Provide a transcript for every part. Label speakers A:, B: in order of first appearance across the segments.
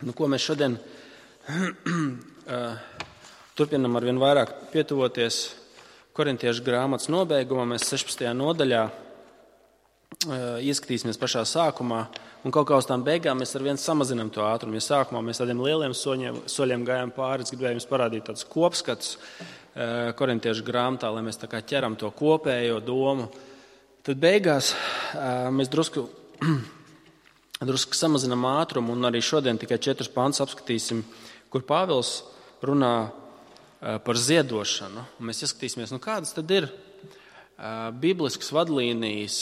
A: Ko mēs šodien turpinam arvien vairāk pietuvoties Korintiešu grāmatas nobeigumā. Mēs 16. nodaļā ieskatīsimies pašā sākumā, un kaut kā uz tām beigām mēs arvien samazinām to ātrumu. Ja sākumā mēs tādiem lieliem soļiem gājām pāri, es gribēju jums parādīt tādus kopskatus Korintiešu grāmatā, lai mēs tā kā ķeram to kopējo domu. Tad beigās mēs drusku samazinām ātrumu, un arī šodien tikai 4 pantus apskatīsim, kur Pāvils runā par ziedošanu. Mēs ieskatīsimies, kādas tad ir bibliskas vadlīnijas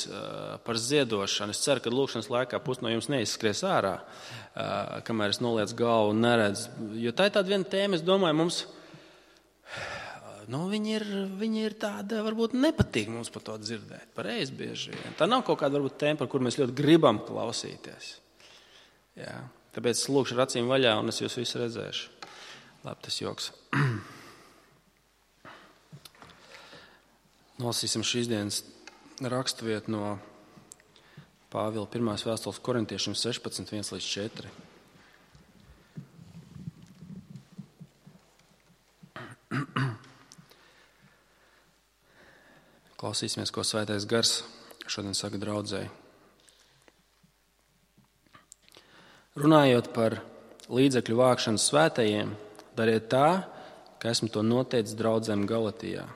A: par ziedošanu. Es ceru, ka lūkšanas laikā pusi no jums neizskries ārā, kamēr es nolieku galvu un neredzu. Jo tā ir tāda viena tēma, es domāju, mums viņi ir tāda, varbūt nepatīk mums par to dzirdēt, pareizi bieži vien. Tā nav kaut kāda varbūt tēma, par kur mēs ļoti gribam klausīties. Jā. Tāpēc es lūkšu ar acīm vaļā un es jūs visu redzēšu. Labi, tas joks. Nolasīsim šīs dienas raksturvietu no Pāvila 1. vēstules Korintiešiem 16, 1-4. Klausīsimies, ko Svētais Gars šodien saka draudzēji. Runājot par līdzekļu vākšanu svētajiem, dariet tā, ka esmu to noteicis draudzēm Galatijā.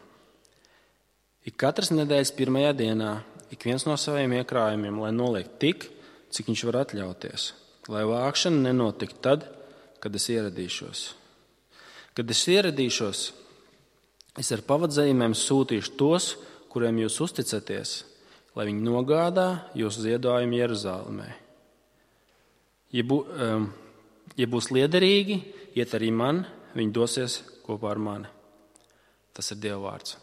A: Ik katras nedēļas 1. dienā, ik viens no saviem iekrājumiem, lai noliek tik, cik viņš var atļauties, lai vākšana nenotiktu tad, kad es ieradīšos. Kad es ieradīšos, es ar pavadzējumiem sūtīšu tos, kuriem jūs uzticaties, lai viņi nogādā jūsu ziedojumu Jeruzālēmē. Ja būs liederīgi, iet arī man, viņi dosies kopā ar mani. Tas ir Dieva vārds.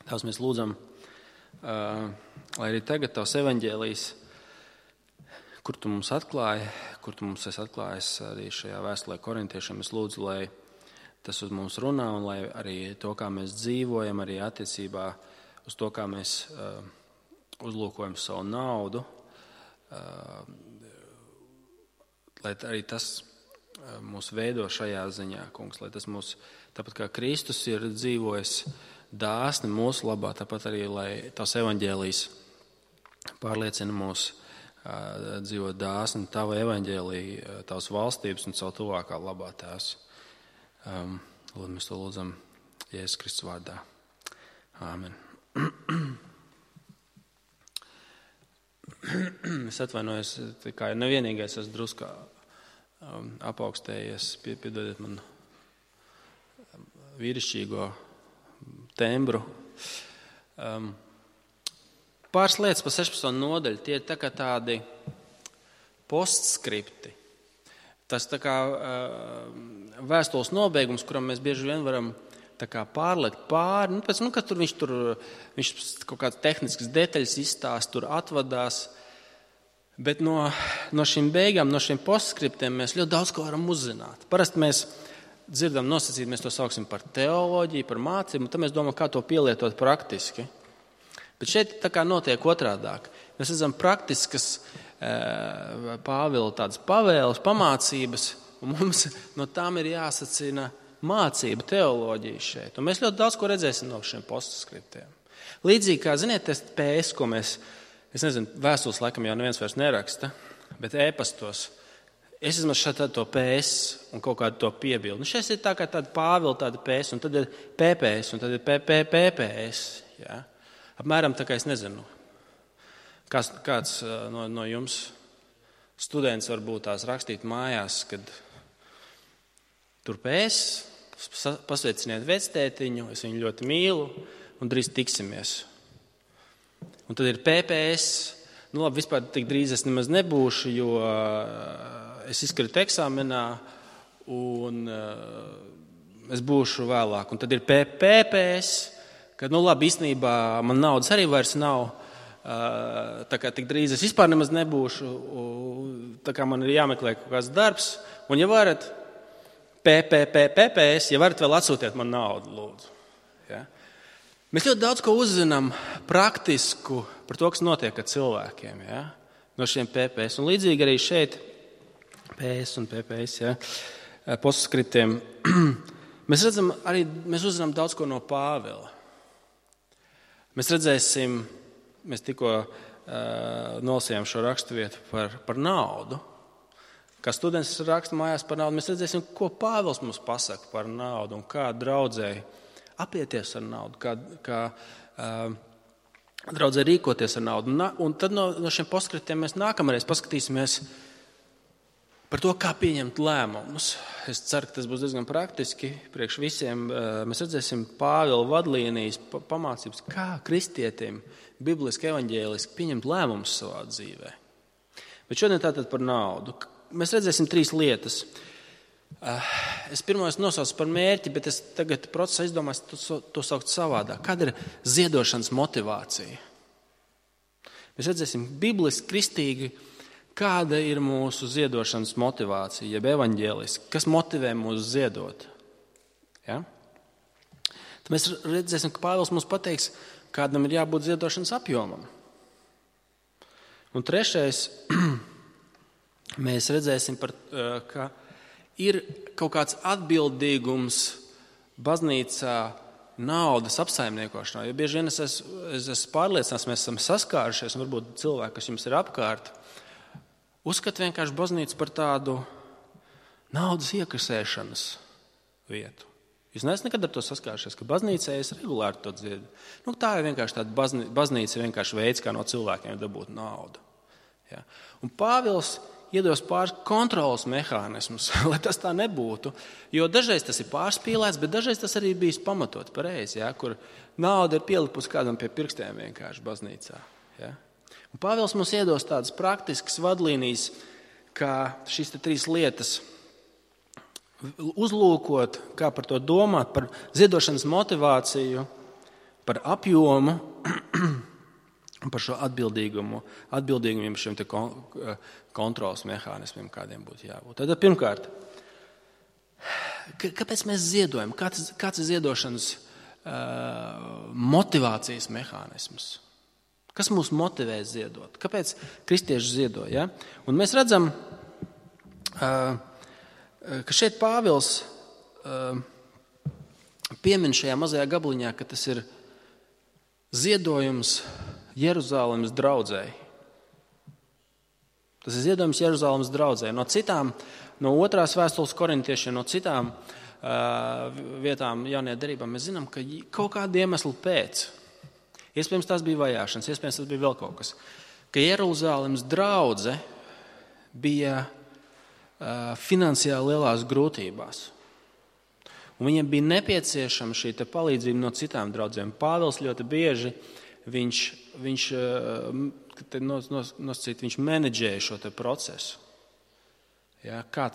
A: Tavs mēs lūdzam, lai arī tagad tavs evaņģēlijs, kur tu mums atklāji, kur tu mums esi atklājis arī šajā vēstulē korintiešiem, es lūdzu, lai tas uz mums runā un lai arī to, kā mēs dzīvojam, arī attiecībā uz to, kā mēs uzlūkojam savu naudu, lai arī tas mūs veido šajā ziņā, kungs, lai tas mūs, tāpat kā Kristus ir dzīvojis dāsni mūsu labā, tāpat arī, lai tavs evaņģēlijs pārliecina mūs dzīvot dāsni, tava evaņģēlija, tavas valstības un savu tuvākā labā tās. Mēs to lūdzam Jēzus Kristus vārdā. Āmen. Es atvainojos, kā jau nevienīgais, es drusku apaugstējies, piedodiet man vīrišķīgo tembru. Pāris lietas pa 16. nodaļu, tie ir tā kā tādi postskripti. Tas tā kā vēstules nobeigums, kuram mēs bieži vien varam tā kā pārlekt pāri. Kad viņš kaut kādas tehniskas detaļas izstāsta, tur atvadās. Bet no šīm beigām, no šiem postskriptiem mēs ļoti daudz ko varam uzzināt. Parasti mēs dzirdam nosacīt, mēs to sauksim par teoloģiju, par mācību, un tad mēs domājam, kā to pielietot praktiski. Bet šeit tā kā notiek otrādāk. Mēs redzam praktiskas Pāvila tādas pavēles, pamācības, un mums no tām ir jāsacina mācība, teoloģija šeit. Un mēs ļoti daudz ko redzēsim no šiem postskriptiem. Līdzīgi kā, ziniet, tas PS, ko es nezinu, vēstules laikam jau neviens vairs neraksta, bet ēpastos, es izmaz šeit to PS un kaut kādu to piebildu. Šeit ir tā kā tāda Pāvila tāda PS, un tad ir PPS, un tad ir PPS. Ja? Apmēram tā kā es nezinu. Kāds no jums students varbūt tās rakstīt mājās, kad tur PS, pasveiciniet vectētiņu, es viņu ļoti mīlu un drīz tiksimies. Un tad ir PPS, labi, vispār tik drīz es nemaz nebūšu, jo es izkritu eksāmenā un es būšu vēlāk. Un tad ir PPS, kad, labi, īstenībā man naudas arī vairs nav. Tā kā tik drīz es vispār nemaz nebūšu, tā kā man ir jāmeklē kaut kāds darbs, un ja varat PPS, ja varat vēl atsūtiet man naudu, lūdzu. Ja? Mēs ļoti daudz ko uzzinām praktisku par to, kas notiek ar cilvēkiem, ja? No šiem PPS. Un līdzīgi arī šeit PS un PPS, postskriptiem. Mēs uzzinām daudz ko no Pāvila. Mēs redzēsim, mēs tikko nolasījām šo raksturvietu par naudu. Kā students raksta mājās par naudu, mēs redzēsim, ko Pāvils mums pasaka par naudu un kā draudzēji apieties ar naudu, kā draudzēji rīkoties ar naudu. Un tad no šiem postskriptiem mēs nākamreiz paskatīsimies par to, kā pieņemt lēmumus. Es ceru, ka tas būs diezgan praktiski priekš visiem. Mēs redzēsim Pāvila vadlīnijas, pamācības, kā kristietim bibliski, evaņģēliski pieņemt lēmumus savā dzīvē. Bet šodien tātad par naudu. Mēs redzēsim 3 lietas. Es pirmais nosaucu par mērķi, bet es tagad procesā izdomāju to saukt savādāk. Kāda ir ziedošanas motivācija? Mēs redzēsim bibliski, kristīgi, kāda ir mūsu ziedošanas motivācija, jeb evaņģēliski, kas motivē mūs ziedot. Ja? Tad mēs redzēsim, ka Pāvils mums pateiks, kādam ir jābūt ziedošanas apjomam. Un trešais, mēs redzēsim, ka ir kaut kāds atbildīgums baznīcā naudas apsaimniekošanā. Jo bieži vien es esmu pārliecināts, mēs esam saskārušies, un varbūt cilvēki, kas jums ir apkārt, uzskata vienkārši baznīcu par tādu naudas iekasēšanas vietu. Jūs neesat nekad ar to saskārušies, ka baznīcā es regulāri to dziedu. Tā ir vienkārši tāda baznīca, vienkārši veids, kā no cilvēkiem dabūt naudu. Ja? Un Pāvils iedos pāris kontrolas mehānismus, lai tas tā nebūtu. Jo dažreiz tas ir pārspīlēts, bet dažreiz tas arī bijis pamatot pareizi, ja? Kur nauda ir pielipus kādam pie pirkstiem vienkārši baznīcā. Ja? Un Pāvils mums iedos tādas praktiskas vadlīnijas, kā šīs 3 lietas uzlūkot, kā par to domāt, par ziedošanas motivāciju, par apjomu un par šo atbildīgumu šiem kontrolas mehānismiem, kādiem būtu jābūt. Tad pirmkārt, kāpēc mēs ziedojam? Kāds ir ziedošanas motivācijas mehānisms? Kas mūs motivē ziedot? Kāpēc kristieši ziedo? Ja? Un mēs redzam, ka šeit Pāvils piemin šajā mazajā gabaliņā, ka tas ir ziedojums Jeruzalemes draudzei. Tas ir ziedojums Jeruzalemes draudzei. No 2. vēstules korintiešiem, no citām vietām jaunajā derībā mēs zinām, ka kaut kāda iemesla pēc, iespējams tās bija vajāšanas, iespējams tas bija vēl kaut kas, ka Jeruzalemes draudze bija finansiāli lielās grūtībās. Un viņiem bija nepieciešama šī palīdzība no citām draudzēm. Pāvils ļoti bieži viņš menedžēja šo procesu. Ja, kā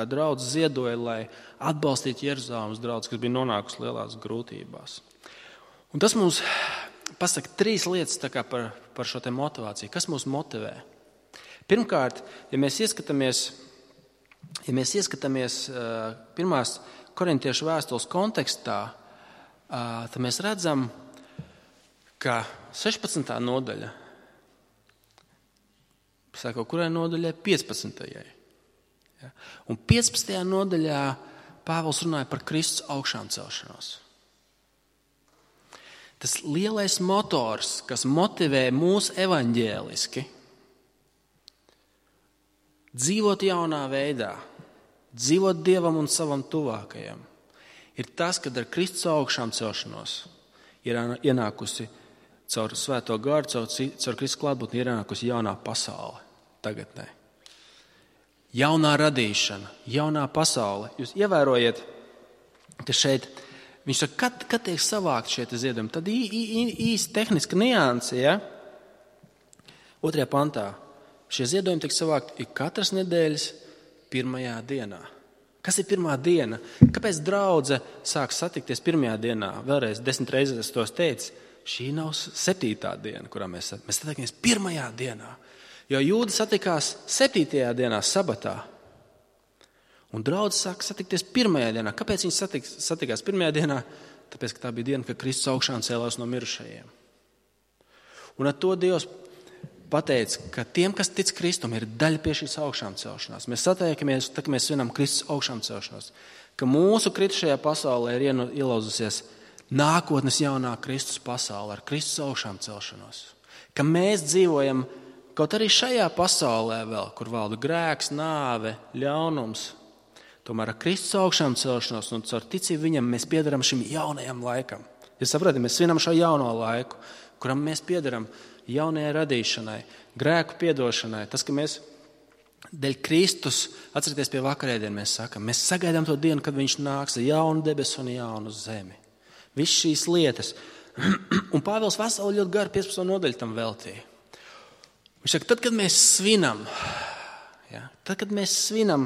A: draudzes ziedoja, lai atbalstītu Jeruzalemes draudzes, kas bija nonākusi lielās grūtībās. Un tas mums pasaka 3 lietas par šo motivāciju. Kas mūs motivē? Pirmkārt, ja mēs ieskatāmies 1. korintiešu vēstules kontekstā, tad mēs redzam, ka 16. nodaļa, saka, kurai nodaļai? 15. Ja? Un 15. nodaļā Pāvils runāja par Kristus augšām celšanos. Tas lielais motors, kas motivē mūs evaņģēliski, dzīvot jaunā veidā, dzīvot Dievam un savam tuvākajam, ir tas, kad ar Kristus augšām celšanos ir ienākusi caur Svēto garu, caur Kristus klātbūtni ir ienākusi jaunā pasaule tagadnē. Jaunā radīšana, jaunā pasaule. Jūs ievērojiet, ka šeit viņš saka, kad tiek savākt šie ziedojumi, tad īsti tehniska nianse, ja? 2. pantā. Šie ziedojumi tiek savākti katras nedēļas 1. dienā. Kas ir 1. diena? Kāpēc draudze sāk satikties 1. dienā? Vēlreiz 10 reizes es tos teicu. Šī nav 7. diena, kurā mēs satiekamies 1. dienā. Jo jūdi satikās 7. dienā, sabatā. Un draudze sāk satikties 1. dienā. Kāpēc viņi satikās 1. dienā? Tāpēc, ka tā bija diena, kad Kristus augšām cēlās no mirušajiem. Un ar to Dievs pateica, ka tiem, kas tic Kristum, ir daļa pie šīs augšām celšanās. Mēs satiekamies, tā kā mēs svinam Kristus augšām celšanos, ka mūsu kritušajā pasaulē ir ielauzusies nākotnes jaunā Kristus pasaule ar Kristus augšām celšanos. Ka mēs dzīvojam kaut arī šajā pasaulē vēl, kur valda grēks, nāve, ļaunums, tomēr ar Kristus augšām celšanos un caur ticību viņam mēs piederam šim jaunajam laikam. Ja saprotat, mēs svinam šo jauno laiku, kuram mēs piederam jaunajai radīšanai, grēku piedošanai. Tas, ka mēs dēļ Kristus, atcerieties pie vakarēdienu, mēs sakam, mēs sagaidām to dienu, kad viņš nāks ar jaunu debesu un jaunu zemi. Viss šīs lietas. Un Pāvils veselu ļoti garu 15. nodaļu tam veltīja. Viņš saka, tad, kad mēs svinam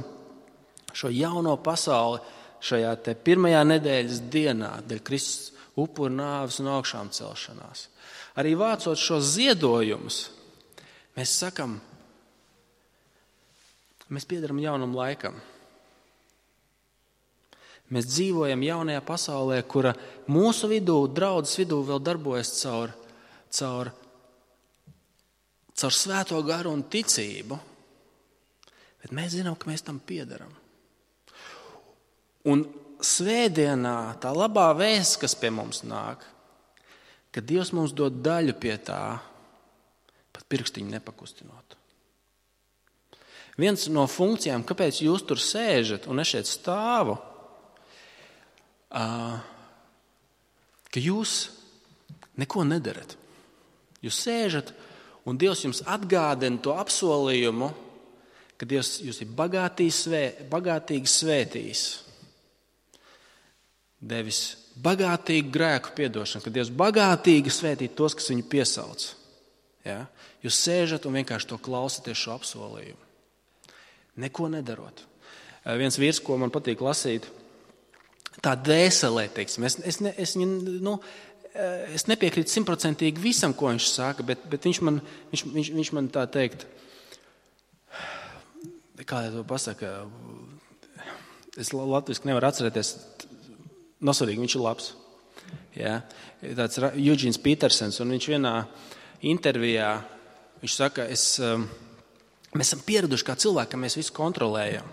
A: šo jauno pasauli šajā te pirmajā nedēļas dienā, dēļ Kristus upuru nāves un augšām celšanās, arī vācot šos ziedojumus, mēs sakam, mēs piederam jaunam laikam. Mēs dzīvojam jaunajā pasaulē, kura mūsu vidū, draudzes vidū vēl darbojas caur svēto garu un ticību, bet mēs zinām, ka mēs tam piederam. Un svētdienā tā labā vēsts, kas pie mums nāk, ka Dievs mums dod daļu pie tā, pat pirkstiņu nepakustinot. Viens no funkcijām, kāpēc jūs tur sēžat un es šeit stāvu, ka jūs neko nedarat. Jūs sēžat un Dievs jums atgādina to apsolījumu, ka Dievs jūs ir bagātīgi svētījis. Devis bagātīgu grēku piedošanu, ka Dievs bagātīgi svētī tos, kas viņu piesauc. Ja? Jūs sēžat un vienkārši to klausaties šo apsolījumu. Neko nedarot. Viens vīrs, ko man patīk lasīt, tā dvēselē, teiksim. Es nepiekrītu 100% visam, ko viņš saka, bet viņš man tā teikt, kā to pasaka, es latviski nevaru atcerēties, nosvarīgi, viņš ir labs. Ja? Tāds Eugēns Petersens, un viņš vienā intervijā, viņš saka, mēs esam pieraduši kā cilvēki, ka mēs visu kontrolējam.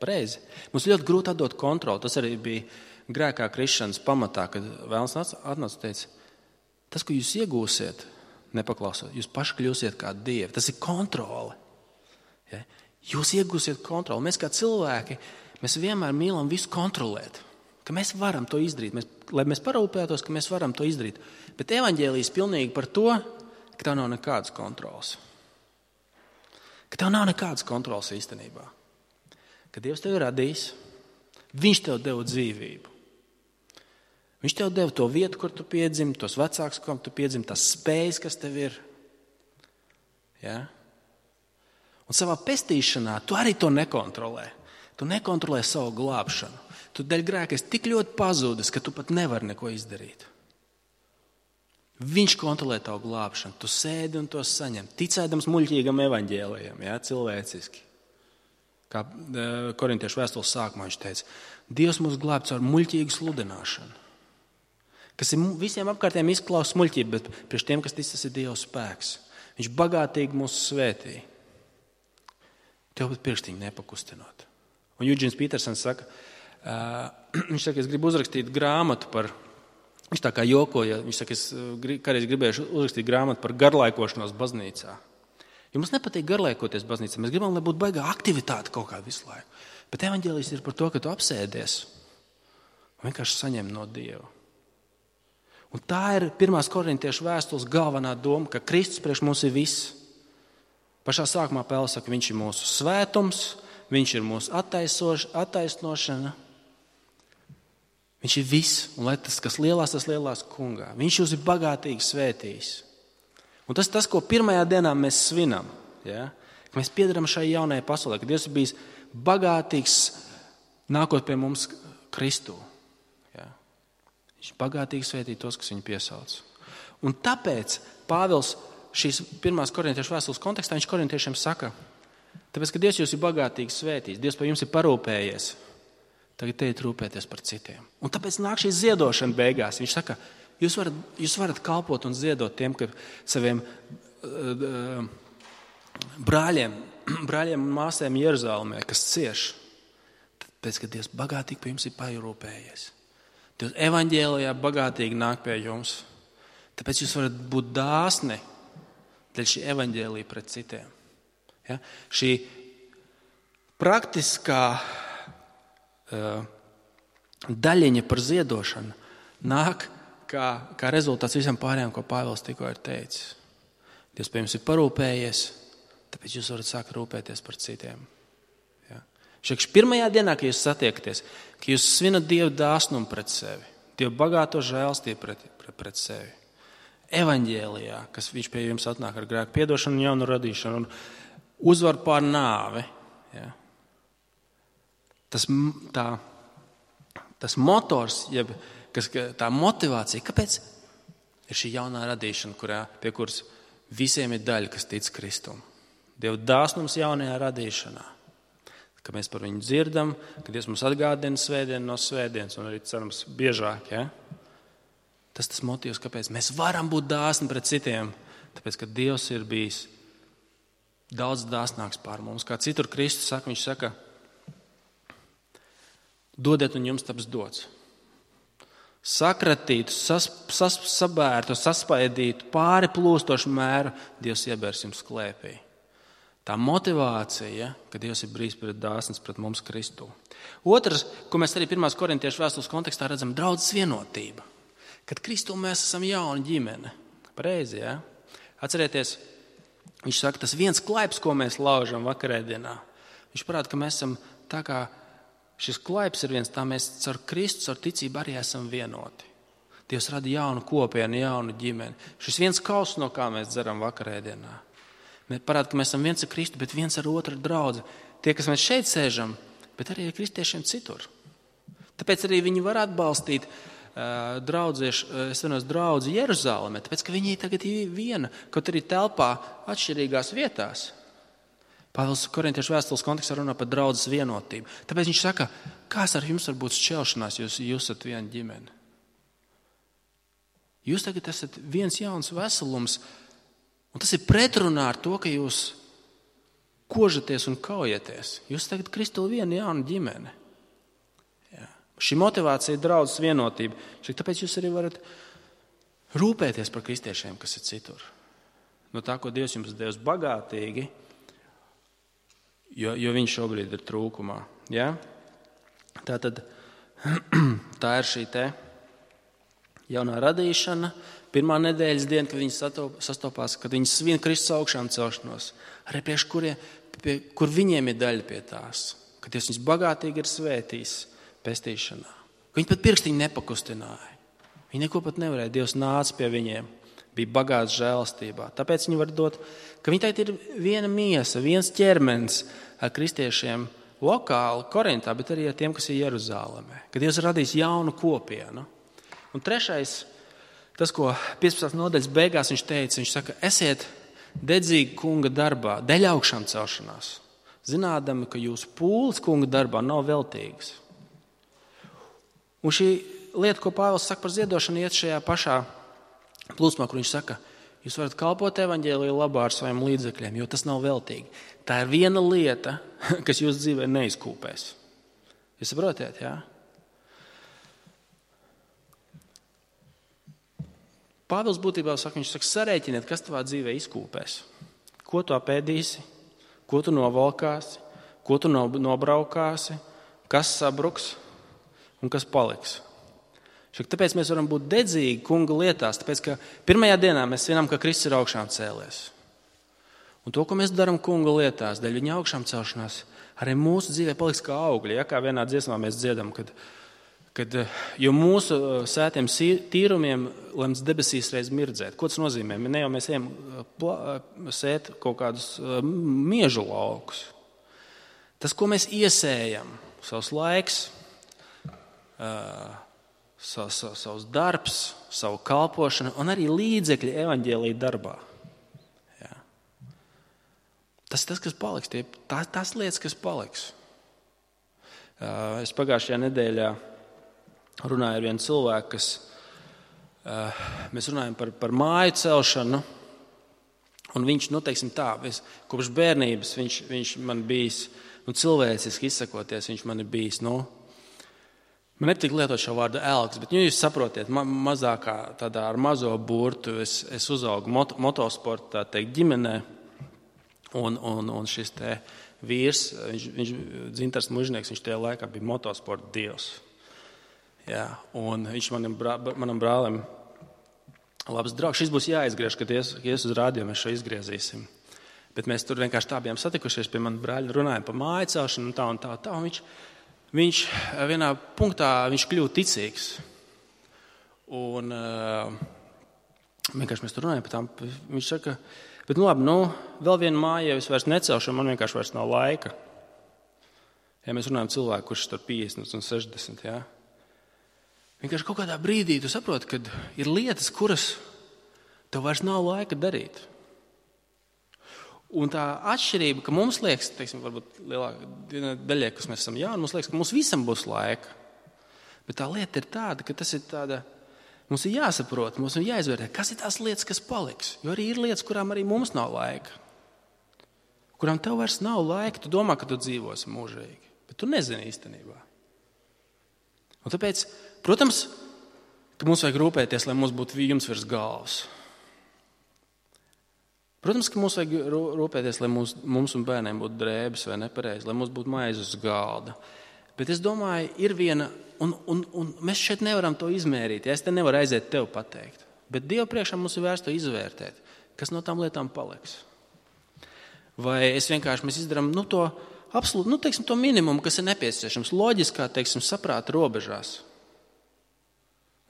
A: Pareizi. Mums ļoti grūti atdot kontroli. Tas arī bija grēkā krišanas pamatā, kad Vēlns atnāca un teica, tas, ko jūs iegūsiet, nepaklausot, jūs paši kļūsiet kā dievi. Tas ir kontrole. Ja? Jūs iegūsiet kontroli. Mēs kā cilvēki, mēs vienmēr mīlam visu kontrolēt. Ka mēs varam to izdarīt. Lai mēs parūpētos, ka mēs varam to izdarīt. Bet evaņģēlijs pilnīgi par to, ka tev nav nekādas kontrolas. Ka tev nav nekādas kontrolas īstenībā. Ka Dievs tevi radījis, Viņš tev deva dzīvību. Viņš tev deva to vietu, kur tu piedzimi, tos vecākus, kur tu piedzimi, tās spējas, kas tev ir. Ja? Un savā pestīšanā tu arī to nekontrolē. Tu nekontrolē savu glābšanu. Tu dēļ grēka esi tik ļoti pazudis, ka tu pat nevari neko izdarīt. Viņš kontrolē tavu glābšanu. Tu sēdi un to saņem, ticēdams muļķīgam evaņģēlijam, ja? Cilvēciski. Kā Korintiešu vēstules sākumā viņš teica, Dievs mūs glāb caur muļķīgu sludināšanu. Kas ir visiem apkārtējiem izklausās muļķība, bet priekš tiem, kas tic, tas ir Dieva spēks. Viņš bagātīgi mūs svētī. Tev pat pirkstiņu nepakustinot. Un Eugēns Petersens saka, viņš saka, es gribu uzrakstīt grāmatu par, viņš tā kā jokoja, viņš saka, es kādreiz gribēju uzrakstīt grāmatu par garlaikošanos baznīcā. Jo mums nepatīk garlaikoties baznīcā. Mēs gribam, lai būtu baigā aktivitāte kaut kāda visu laiku. Bet evaņģēlijs ir par to, ka tu apsēdies un vienkārši saņem no Dieva. Un tā ir 1. Korintiešu vēstules galvenā doma, ka Kristus priekš mums ir viss. Pašā sākumā Pēlis saka, viņš ir mūsu svētums, viņš ir mūsu attaisnošana. Viņš ir viss, un lai tas lielās kungā. Viņš jūs ir bagātīgi svētījis. Un tas, ko pirmajā dienā mēs svinam, ja? Ka mēs piederam šai jaunajai pasaulē, ka Dievs ir bijis bagātīgs nākot pie mums Kristū. Ja? Viņš bagātīgi svētī tos, kas viņu piesauc. Un tāpēc Pāvils šīs 1. Korintiešu vēstules kontekstā viņš korintiešiem saka, tāpēc, ka Dievs jūs ir bagātīgi svētījis, Dievs par jums ir parūpējies, tagad teikt rūpēties par citiem. Un tāpēc nāk šī ziedošana beigās. Viņš saka, jūs varat kalpot un ziedot tiem, ka saviem brāļiem un māsēm Jeruzālēmē, kas cieš, tāpēc, ka Dievs bagātīgi pie jums ir parūpējies. Dievs evaņģēlijā bagātīgi nāk pie jums. Tāpēc jūs varat būt dāsni dēļ šī evaņģēlija pret citiem. Ja? Šī praktiskā daļiņa par ziedošanu nāk kā rezultāts visam pārējām, ko Pāvils tikko ir teicis. Dievs pie jums ir parūpējies, tāpēc jūs varat sākt rūpēties par citiem. Ja? Šeit pirmajā dienā, kad jūs satiekaties, ka jūs svinat Dievu dāsnumu pret sevi, Dievu bagāto žēlstību pret sevi. Evaņģēlijā, kas viņš pie jums atnāk ar grēku piedošanu un jaunu radīšanu un uzvaru pār nāvi. Ja? Tas motors, tā motivācija, kāpēc ir šī jaunā radīšana, pie kuras visiem ir daļa, kas tic Kristum. Dieva dāsnums jaunajā radīšanā. Ka mēs par viņu dzirdam, ka Dievs mums atgādina svētdienu no svētdienas un arī cerams biežāk. Ja? Tas motīvs, kāpēc mēs varam būt dāsni pret citiem, tāpēc, ka Dievs ir bijis daudz dāsnāks pār mums. Kā citur Kristus saka, viņš saka, dodiet un jums taps dots. Sakratītu, sabērtu, saspaidītu, pāri plūstošu mēru Dievs iebērs jums klēpī. Tā motivācija, ka Dievs ir bijis dāsns pret mums Kristu. Otrs, ko mēs arī 1. Korintiešu vēstules kontekstā redzam, draudzes vienotība. Kad Kristu mēs esam jauna ģimene. Pareizi, ja? Atcerieties, viņš saka, tas viens klaips, ko mēs laužam vakarēdienā. Viņš parāda, ka mēs esam tā kā šis klaips ir viens, tā mēs caur Kristu, caur ticību arī esam vienoti. Dievs rada jaunu kopienu, jaunu ģimeni. Šis viens kauss, no kā mēs dzeram vakarēdienā. Mēs parāda, ka mēs esam viens ar Kristu, bet viens ar otru draudzi. Tie, kas mēs šeit sēžam, bet arī ar kristiešiem citur. Tāpēc arī viņi var atbalstīt draudzi Jeruzālēmē, tāpēc, ka viņi tagad ir viena, kaut arī telpā atšķirīgās vietās. Pāvils Korintiešu vēstules kontekstā runā par draudzes vienotību. Tāpēc viņš saka, kāds ar jums var būt šķelšanās, jūs esat viena ģimene. Jūs tagad esat viens jauns veselums, un tas ir pretrunā ar to, ka jūs kožaties un kaujaties. Jūs tagad Kristu viena jauna ģimene. Šī motivācija ir draudzes vienotība. Tāpēc jūs arī varat rūpēties par kristiešiem, kas ir citur. No tā, ko Dievs jums devis bagātīgi, jo viņš šobrīd ir trūkumā. Ja? Tātad tā ir šī te jaunā radīšana, pirmā nedēļas diena, kad viņi sastopās, kad viņi svin Kristus augšām celšanos, arī kur viņiem ir daļa pie tās, kad Dievs viņus bagātīgi ir svētījis pestīšanā. Viņi pat pirkstiņu nepakustināja. Viņi neko pat nevarēja. Dievs nāca pie viņiem, bija bagāts žēlastībā. Tāpēc viņi var dot, ka viņi tagad ir viena miesa, viens ķermenis ar kristiešiem lokāli Korintā, bet arī ar tiem, kas ir Jeruzālēmē. Kad Dievs radīs jaunu kopienu. Un trešais, tas, ko 15. nodaļas beigās viņš teica, viņš saka, esiet dedzīgi kunga darbā, dēļ augšām celšanās, zinādami, ka jūsu pūles kunga darbā nav veltīgas. Un šī lieta, ko Pāvils saka par ziedošanu, iet šajā pašā plūsmā, kur viņš saka, jūs varat kalpot evaņģēliju labā ar saviem līdzekļiem, jo tas nav veltīgi. Tā ir viena lieta, kas jūsu dzīvē neizkūpēs. Jūs saprotiet, jā? Pāvils būtībā saka, viņš saka, sarēķiniet, kas tavā dzīvē izkūpēs. Ko tu apēdīsi, ko tu novalkāsi, ko tu nobraukāsi, kas sabruks un kas paliks. Tāpēc mēs varam būt dedzīgi kunga lietās, tāpēc, ka pirmajā dienā mēs zinām, ka Kristus ir augšām cēlies. Un to, ko mēs darām kunga lietās, dēļ viņa augšām celšanās, arī mūsu dzīvē paliks kā augļi. Ja? Kā vienā dziesmā mēs dziedam, jo mūsu sētiem tīrumiem lemts debesīs reiz mirdzēt. Ko tas nozīmē? Ne jau mēs ejam sēt kaut kādus miežu laukus. Tas, ko mēs iesējam, savs laiks, savs darbs, savu kalpošanu un arī līdzekļi evaņģēlija darbā. Jā. Tas ir tas, kas paliks. Tās lietas, kas paliks. Es pagājušajā nedēļā runāju ar vienu cilvēku, mēs runājam par māju celšanu, Un viņš, teiksim tā, kopš bērnības viņš man bijis, cilvēciski izsakoties, viņš man ir bijis, man nepatīk lietot šo vārdu elks, bet jūs saprotiet, mazākā tādā ar mazo burtu es uzaugu motosporta, tā teikt, ģimenē, un šis te vīrs, viņš Dzintars Mužnieks, viņš tajā laikā bija motosporta dievs. Jā, un viņš manam brālim labs draugs. Šis būs jāizgriež, kad ies uz rādio, mēs šo izgriezīsim. Bet mēs tur vienkārši tā bijām satikušies, pie man brāļa runājām par māju celšanu un tā. Un viņš vienā punktā viņš kļuva ticīgs. Un vienkārši mēs tur runājām par tām. Viņš saka, bet labi, vēl vienu māju, ja es vairs necelšu, man vienkārši vairs nav laika. Ja mēs runājam cilvēku, kurš tur 50 un 60, jā. Vienkārši kaut kādā brīdī tu saproti, ka ir lietas, kuras tev vairs nav laika darīt. Un tā atšķirība, ka mums liekas, teiksim, varbūt lielākā daļai, kas mēs esam jauni, mums liekas, ka mums visam būs laika. Bet tā lieta ir tāda, ka tas ir tāda, mums ir jāsaprot, mums ir jāizvērtē, kas ir tās lietas, kas paliks. Jo arī ir lietas, kurām arī mums nav laika. Kurām tev vairs nav laika, tu domā, ka tu dzīvosi mūžīgi. Bet tu nezini īstenībā. Un tāpēc, protams, ka mums vajag rūpēties, lai mums būtu jums virs galvas. Protams, ka mums vajag rūpēties, lai mums un bērniem būtu drēbes vai nepareizi, lai mums būtu maize uz galda. Bet es domāju, ir viena, un mēs šeit nevaram to izmērīt. Ja? Es te nevaru aiziet tev pateikt. Bet Dieva priekšā mums ir vērts to izvērtēt, kas no tām lietām paliks. Vai mēs izdarām to absolūti, teiksim, to minimumu, kas ir nepieciešams, loģiskā, teiksim, saprāta robežās.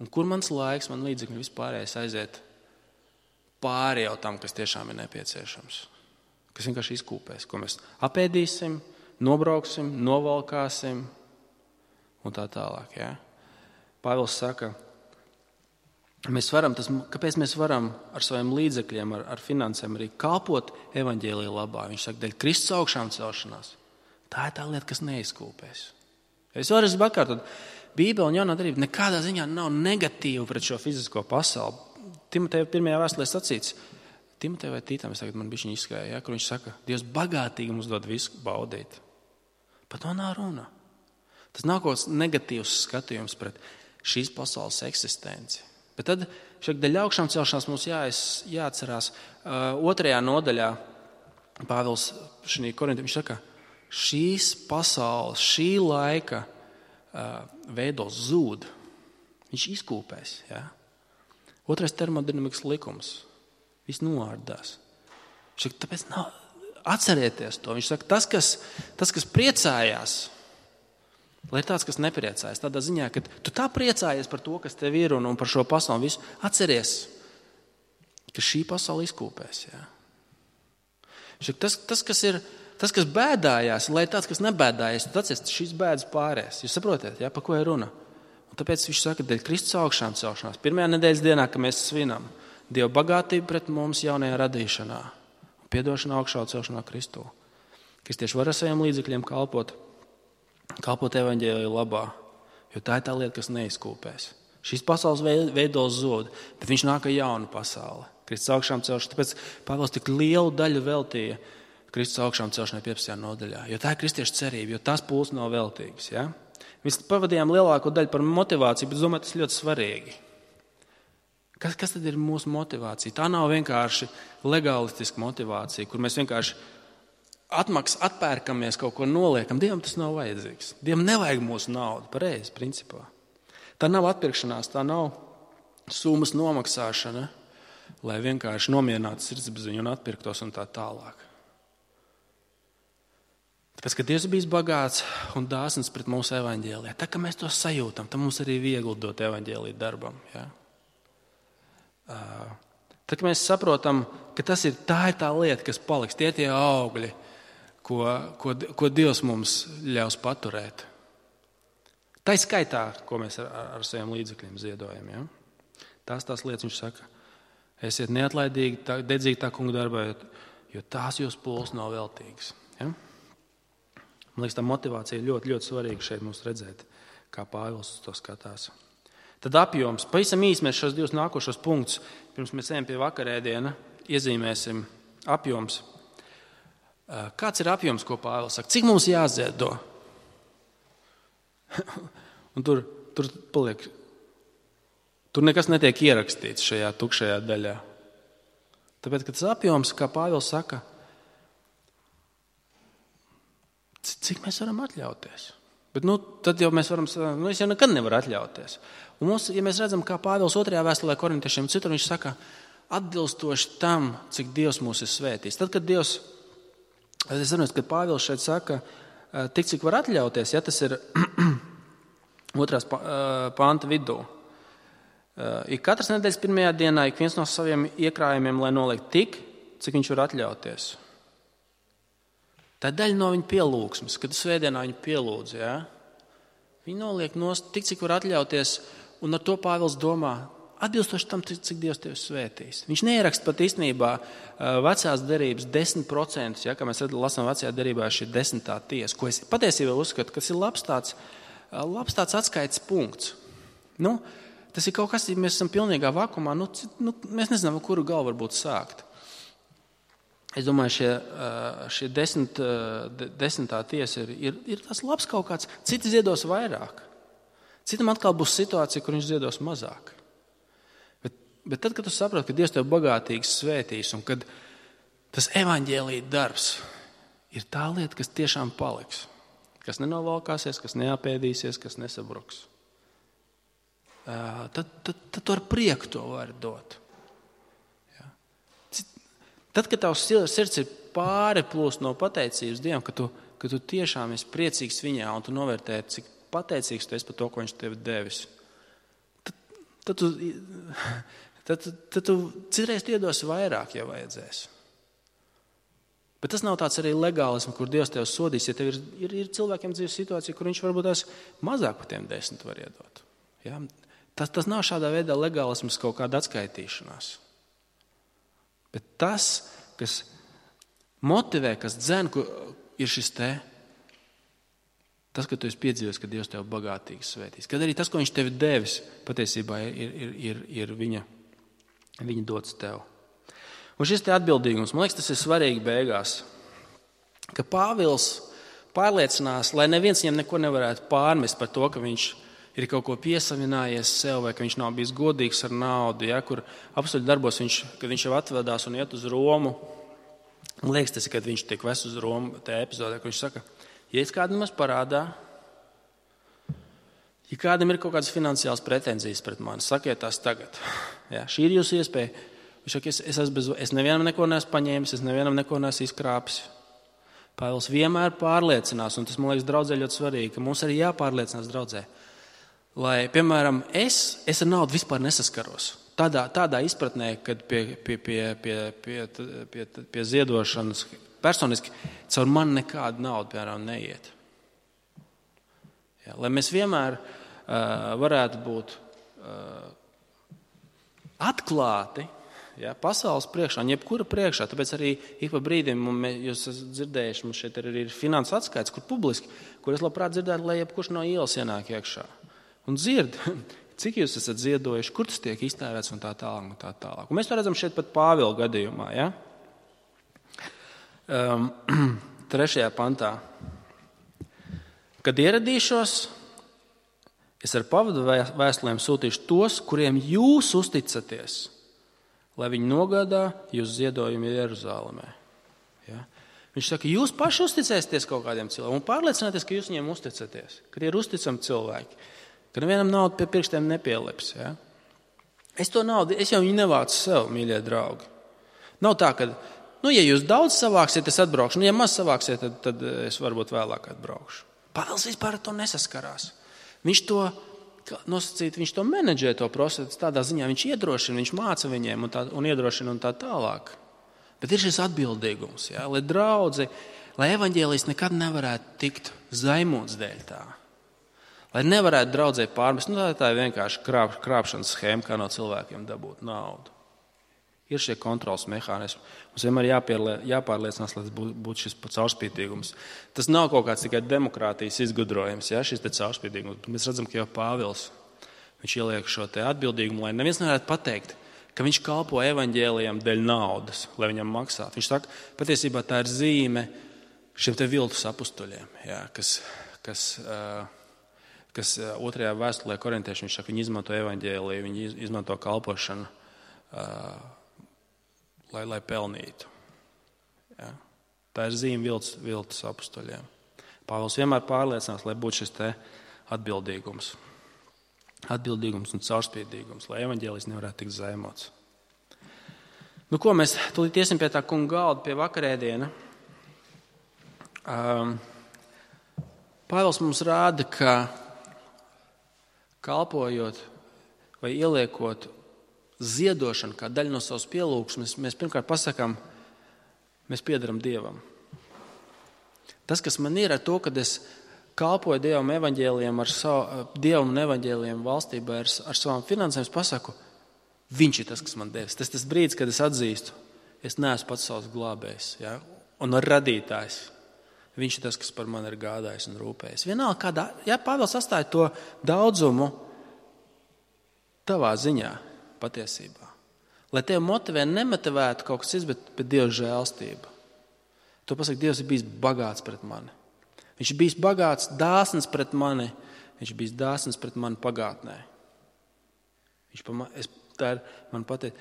A: Un kur mans laiks, man līdzekļi vispārējais aiziet pāri jau tam, kas tiešām ir nepieciešams. Kas vienkārši izkūpēs, ko mēs apēdīsim, nobrauksim, novalkāsim un tā tālāk. Ja? Pāvils saka, kāpēc mēs varam ar saviem līdzekļiem, ar finansēm arī kalpot evaņģēlija labā. Viņš saka, dēļ Kristus augšām celšanās. Tā ir tā lieta, kas neizkūpēs. Es vēlreiz atkārtot, Bībele un jaunā darība nekādā ziņā nav negatīva pret šo fizisko pasauli. Timoteja 1. vēstulē sacīts, Timoteja vai Tītam, man bišķiņ izskāja, ja, kur viņš saka, Dievs bagātīgi mums dod visu baudīt. Par to nav runa. Tas nav kaut kāds negatīvs skatījums pret šīs pasaules eksistenci. Bet tad dēļ augšām celšanās mums jāatcerās 2. nodaļā Pāvils šī Korintī, viņš saka, šīs pasaules, šī laika veidos zūd. Viņš izkūpēs. Ja? 2. termodinamikas likums. Viss noārdās. Viņš saka, tāpēc atcerieties to. Viņš saka, tas, kas priecājās, lai ir tāds, kas nepriecājas. Tādā ziņā, ka tu tā priecājies par to, kas tev ir un par šo pasauli visu. Atceries, ka šī pasaule izkūpēs. Ja? Viņš saka, tas, kas bēdājās, lai tāds, kas nebēdājas, tad atceries, šīs bēdas pārēs. Jūs saprotiet, ja, par ko ir runa? Un tāpēc viņš saka, dēļ Kristus augšām celšanās. 1. nedēļas dienā, kad mēs svinam Dieva bagātību pret mums jaunajā radīšanā un piedošana augšā celšanā Kristū. Kristieši var ar saviem līdzekļiem kalpot evaņģēlija labā, jo tā ir tā lieta, kas neizkūpēs. Šīs pasaules veidos zūd, bet viņš nāk ar jaunu pasauli. Kristus augšām celšanā, tāpēc Pāvils tik lielu daļu veltīja Kristus augšām celšanai 15. nodaļā, jo tā ir kristiešu cerība, jo tās pūles nav veltīgas. Ja? Mēs pavadījām lielāko daļu par motivāciju, bet domāju, tas ļoti svarīgi. Kas tad ir mūsu motivācija? Tā nav vienkārši legalistiska motivācija, kur mēs vienkārši atpērkamies, kaut ko noliekam. Dievam tas nav vajadzīgs. Dievam nevajag mūsu naudu, pareizi, principā. Tā nav atpirkšanās, tā nav summas nomaksāšana, lai vienkārši nomierinātu sirdsapziņu un atpirktos un tā tālāk. Tāpēc, ka Dievs bijis bagāts un dāsns pret mūsu evaņģēlijā, tā kā mēs to sajūtam, tad mums arī viegli dot evaņģēlija darbam. Ja? Tad, kad mēs saprotam, ka tā ir tā lieta, kas paliks, tie augļi, ko Dievs mums ļaus paturēt. Tā ir skaitā, ko mēs ar saviem līdzekļiem ziedojam. Ja? Tās lietas viņš saka, esiet neatlaidīgi, dedzīgi tā kunga darbā, jo tās jūsu pūles nav veltīgas. Ja? Man liekas, tā motivācija ir ļoti, ļoti svarīga šeit mums redzēt, kā Pāvils uz to skatās. Tad apjoms. Pavisam īsi mēs šos divus nākošos punktus, pirms mēs ejam pie vakarēdiena, iezīmēsim apjoms. Kāds ir apjoms, ko Pāvils saka? Cik mums jāziedo? Un tur paliek. Tur nekas netiek ierakstīts šajā tukšajā daļā. Tāpēc, ka tas apjoms, kā Pāvils saka, cik mēs varam atļauties? Bet tad jau mēs varam, es jau nekad nevaru atļauties. Un mums, ja mēs redzam, kā Pāvils 2. vēstulē korintiešiem citur, viņš saka, atbilstoši tam, cik Dievs mūs ir svētījis. Tad, kad es zinu, kad Pāvils šeit saka, tik cik var atļauties, ja tas ir 2. panta vidū. Ir katras nedēļas 1. dienā ik viens no saviem iekrājumiem, lai noliek tik, cik viņš var atļauties. Tā ir daļa no viņa pielūgsmes, kad svētdienā viņu pielūdz. Ja? Viņi noliek nost tik, cik var atļauties, un ar to Pāvils domā, atbilstoši tam, cik Dievs tevi svētīs. Viņš neieraksta pat īstenībā vecās derības 10%, ja, kā mēs lasām vecajā derībā šī 10. tiesa, ko es patiesībā uzskatu, kas ir labs tāds atskaites punkts. Tas ir kaut kas, ja mēs esam pilnīgā vakumā, mēs nezinām, kuru galvu varbūt sākt. Es domāju, šie 10. tiesa ir tas labs kaut kāds. Citi ziedos vairāk. Citam atkal būs situācija, kur viņš ziedos mazāk. Bet tad, kad tu saproti, ka Dievs tev bagātīgi svētīs un kad tas evaņģēlija darbs ir tā lieta, kas tiešām paliks, kas nenovalkāsies, kas neapēdīsies, kas nesabruks, tad tu ar prieku to vari dot. Tad, kad tavs sirds ir pārplūst no pateicības Dievam, ka tu tiešām esi priecīgs viņā un tu novērtē, cik pateicīgs tu esi par to, ko viņš tev devis, tad tu citreiz iedos vairāk, ja vajadzēs. Bet tas nav tāds arī legālisms, kur Dievs tev sodīs, ja tev ir cilvēkiem dzīves situācija, kur viņš varbūt tās mazāk par tiem 10 var iedot. Ja? Tas nav šādā veidā legālisms kaut kāda atskaitīšanās. Bet tas, kas motivē, kas dzen, ir šis tas, ka tu esi piedzīvojis, ka Dievs tev bagātīgi svētīs. Kad arī tas, ko viņš tev devis, patiesībā ir viņa dots tev. Un šis te atbildīgums, man liekas, tas ir svarīgi beigās, ka Pāvils pārliecinās, lai neviens viņam neko nevarētu pārmest par to, ka viņš ir kaut ko piesavinājies sev, vai ka viņš nav bijis godīgs ar naudu, ja, kur apstuļu darbos, kad viņš jau atvedās un iet uz Romu. Man liekas, tas ir, kad viņš tiek vests uz Romu, tajā epizodē, kur viņš saka, ja es kādam maz parādā, ja kādam ir kaut kādas finansiālas pretenzijas pret mani, sakiet tās tagad. Ja, šī ir jūsu iespēja. Viņš saka, es nevienam neko neesmu paņēmis, es nevienam neko neesmu izkrāpis. Pāvils vienmēr pārliecinās, un tas, man liekas, draudzē ļoti svarīgi, ka mums arī jāpārliecinās draudzē. Lai, piemēram, es ar naudu vispār nesaskaros. Tādā izpratnē, kad pie ziedošanas personiski caur mani nekāda nauda, piemēram, neiet. Ja, lai mēs vienmēr varētu būt atklāti, ja, pasaules priekšā, un jebkura priekšā, tāpēc arī ik pa brīdim, jūs esat dzirdējuši, mums šeit arī ir finanses atskaits, kur publiski, kur es labprāt dzirdētu, lai jebkurš no ielas ienāk iekšā. Un dzird, cik jūs esat ziedojuši, kur tas tiek iztērēts un tā tālāk. Un tā tālāk. Un mēs to redzam šeit pat Pāvila gadījumā. Ja? 3. pantā. Kad ieradīšos, es ar pavadu vēstulēm sūtīšu tos, kuriem jūs uzticaties, lai viņi nogādā jūsu ziedojumu Jeruzālēmē. Ja? Viņš saka, jūs paši uzticēsieties kaut kādiem cilvēkiem un pārliecināties, ka jūs viņiem uzticaties, ka ir uzticami cilvēki. Ka nevienam naudu pie pirkstiem nepielips. Ja? Es to naudu, es jau viņu nevācu sev, mīļie draugi. Nav tā, ka, ja jūs daudz savāksiet, es atbraukšu. Ja maz savāksiet, tad es varbūt vēlāk atbraukšu. Pāvils vispār ar to nesaskarās. Viņš to nosacīt, viņš to menedžē to procesu tādā ziņā. Viņš iedrošina, viņš māca viņiem un iedrošina un tā tālāk. Bet ir šis atbildīgums, ja? Lai draudzi, lai evaņģēlijs nekad nevarētu tikt zaimots dēļ tā. Lai nevarētu draudzē pārmest, tā ir vienkārši krāpšanas schēma, kā no cilvēkiem dabūt naudu. Ir šie kontrols mehānismi. Mums vienmēr jāpārliecinās, lai būtu šis caurspīdīgums. Tas nav kaut kāds tikai demokrātijas izgudrojums, ja, šis te caurspīdīgums. Mēs redzam, ka jau Pāvils, viņš ieliek šo te atbildīgumu, lai neviens nevarētu pateikt, ka viņš kalpo evaņģēlijam dēļ naudas, lai viņam maksātu. Viņš saka, patiesībā tā ir zīme šiem te viltus apustuļiem, jā, kas otrajā vēstulē korintiešiem, viņš saka, viņi izmanto evaņģēliju, viņi izmanto kalpošanu, lai pelnītu. Jā. Tā ir zīme viltus apustuļiem. Pāvils vienmēr pārliecinās, lai būtu šis te atbildīgums un caurspīdīgums, lai evaņģēlijs nevarētu tikt zaimots. Nu, ko mēs tūlīt iesim pie tā kunga galda, pie vakarēdiena. Pāvils mums rāda, ka kalpojot vai ieliekot ziedošanu kā daļu no savas pielūgsmes, mēs pirmkārt pasakām, mēs piederam Dievam. Tas, kas man ir ar to, kad es kalpoju Dievam evaņģēlijam Dievam un evaņģēlijam valstībai ar savām finansēm, es pasaku, viņš ir tas, kas man devis. Tas tas brīdis, kad es atzīstu, es neesmu pats savs glābējs, ja? Un radītājs. Viņš ir tas, kas par mani ir gādājis un rūpējis. Vienalga kādā, ja Pāvils atstāja to daudzumu tavā ziņā patiesībā, lai tevi motivē nemotivētu kaut kas cits, bet Dieva žēlstība. To pasaka, Dievs ir bijis bagāts pret mani. Viņš ir bijis bagāts, dāsns pret mani. Viņš ir bijis dāsns pret mani pagātnē. Tā ir man pateikt.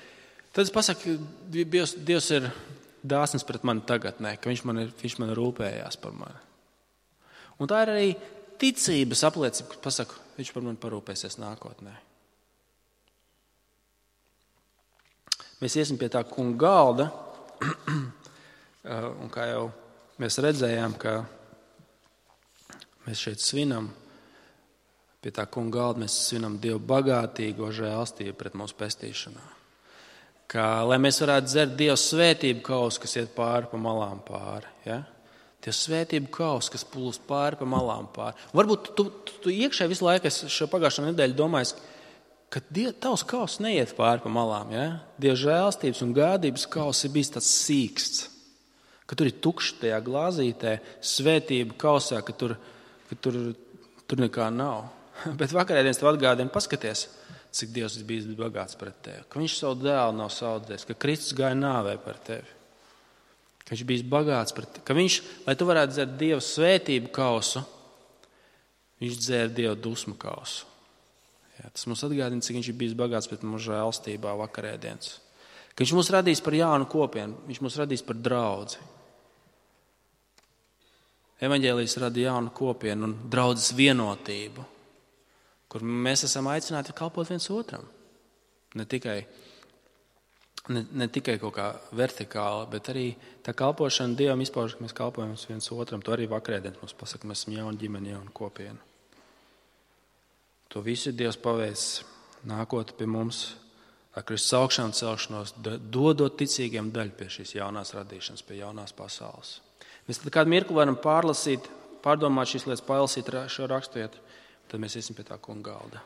A: Tad es pasaku, Dievs ir dāsns pret mani tagadnē, ka viņš man rūpējās par mani. Un tā ir arī ticības apliecība, ka pasaku, viņš par mani parūpēsies nākotnē. Mēs iesim pie tā kunga galda, un kā jau mēs redzējām, ka mēs šeit svinam, pie tā kunga galda mēs svinam Dievu bagātīgo žēlstību pret mūsu pestīšanā. Lai mēs varētu dzert Dieva svētību kausu, kas iet pāri pa malām pāri. Ja? Dieva svētību kausu, kas plūst pāri pa malām pāri. Varbūt tu iekšē visu laiku, es šo pagājušo nedēļu domāju, ka tavs kauss neiet pāri pa malām. Ja? Dieva žēlstības un gādības kauss ir bijis tāds sīksts, ka tur ir tukšs tajā glāzītē, svētību kausā, ka tur nekā nav. Bet vakarēdienas tev atgādina, paskaties, cik Dievs ir bijis bagāts pret tevi. Ka viņš savu dēlu nav zaudējis, ka Kristus gāja nāvē par tevi. Ka viņš bijis bagāts pret tevi. Ka viņš, lai tu varētu dzert Dieva svētību kausu, viņš dzēra Dieva dusmu kausu. Jā, tas mums atgādina, cik viņš ir bijis bagāts pret mūsu žēlstībā vakarēdienas. Ka viņš mūs radīs par jaunu kopienu, viņš mūs radīs par draudzi. Evaņģēlijs rada jaunu kopienu un draudzes vienotību, kur mēs esam aicināti kalpot viens otram. Ne tikai kaut kā vertikāli, bet arī tā kalpošana Dievam izpauž, ka mēs kalpojam viens otram. To arī vakarēdien mums pasaka, mēs esam jauna ģimene, jauna kopiena. To visu Dievs paveic nākot pie mums, ar Kristus augšām celšanos, dodot ticīgiem daļu pie šīs jaunās radīšanas, pie jaunās pasaules. Mēs tad kādu mirkli varam pārdomāt šīs lietas, palasīt šo raksturiet, tad mēs iesim pie tā kunga galda.